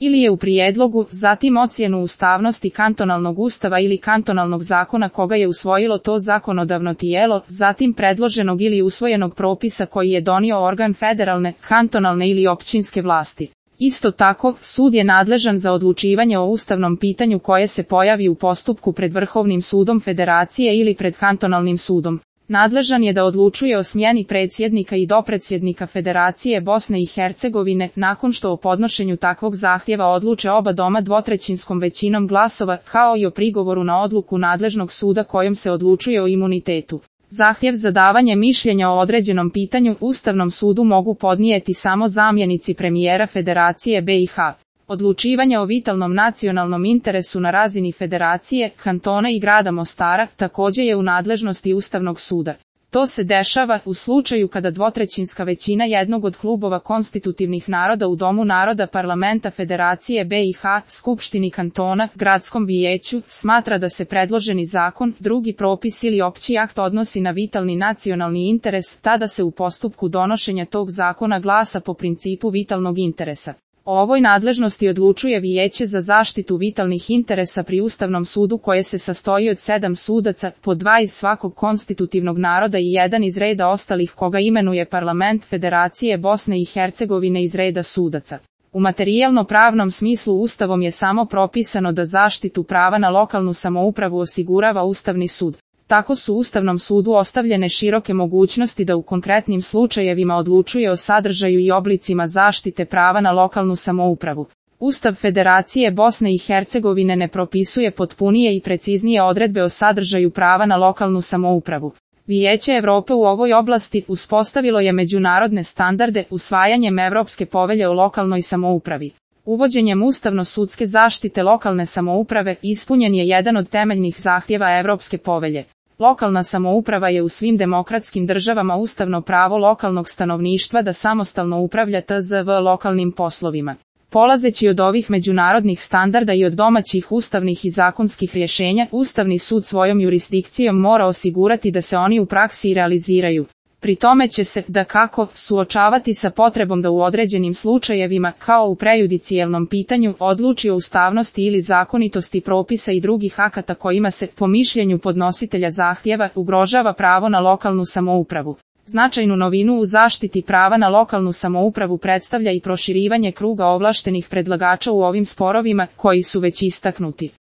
ili je u prijedlogu, zatim ocjenu ustavnosti kantonalnog ustava ili kantonalnog zakona koga je usvojilo to zakonodavno tijelo, zatim predloženog ili usvojenog propisa koji je donio organ federalne, kantonalne ili općinske vlasti. Isto tako, sud je nadležan za odlučivanje o ustavnom pitanju koje se pojavi u postupku pred Vrhovnim sudom Federacije ili pred kantonalnim sudom. Nadležan je da odlučuje o smjeni predsjednika i dopredsjednika Federacije Bosne i Hercegovine, nakon što o podnošenju takvog zahtjeva odluče oba doma dvotrećinskom većinom glasova, kao i o prigovoru na odluku nadležnog suda kojom se odlučuje o imunitetu. Zahtjev za davanje mišljenja o određenom pitanju Ustavnom sudu mogu podnijeti samo zamjenici premijera Federacije BiH. Odlučivanje o vitalnom nacionalnom interesu na razini Federacije, kantona i grada Mostara također je u nadležnosti Ustavnog suda. To se dešava u slučaju kada dvotrećinska većina jednog od klubova konstitutivnih naroda u Domu naroda Parlamenta Federacije BiH, Skupštini kantona, Gradskom vijeću, smatra da se predloženi zakon, drugi propis ili opći akt odnosi na vitalni nacionalni interes, tada se u postupku donošenja tog zakona glasa po principu vitalnog interesa. O ovoj nadležnosti odlučuje Vijeće za zaštitu vitalnih interesa pri Ustavnom sudu koje se sastoji od 7 sudaca, po 2 iz svakog konstitutivnog naroda i 1 iz reda ostalih koga imenuje Parlament Federacije Bosne i Hercegovine iz reda sudaca. U materijalno-pravnom smislu Ustavom je samo propisano da zaštitu prava na lokalnu samoupravu osigurava Ustavni sud. Tako su Ustavnom sudu ostavljene široke mogućnosti da u konkretnim slučajevima odlučuje o sadržaju i oblicima zaštite prava na lokalnu samoupravu. Ustav Federacije Bosne i Hercegovine ne propisuje potpunije i preciznije odredbe o sadržaju prava na lokalnu samoupravu. Vijeće Europe u ovoj oblasti uspostavilo je međunarodne standarde usvajanjem Europske povelje o lokalnoj samoupravi. Uvođenjem ustavno-sudske zaštite lokalne samouprave ispunjen je jedan od temeljnih zahtjeva Europske povelje. Lokalna samouprava je u svim demokratskim državama ustavno pravo lokalnog stanovništva da samostalno upravlja TZV lokalnim poslovima. Polazeći od ovih međunarodnih standarda i od domaćih ustavnih i zakonskih rješenja, Ustavni sud svojom jurisdikcijom mora osigurati da se oni u praksi i realiziraju. Pri tome će se, dakako, suočavati sa potrebom da u određenim slučajevima, kao u prejudicijelnom pitanju, odluči o ustavnosti ili zakonitosti propisa i drugih akata kojima se, po mišljenju podnositelja zahtjeva, ugrožava pravo na lokalnu samoupravu. Značajnu novinu u zaštiti prava na lokalnu samoupravu predstavlja i proširivanje kruga ovlaštenih predlagača u ovim sporovima, koji su već istaknuti.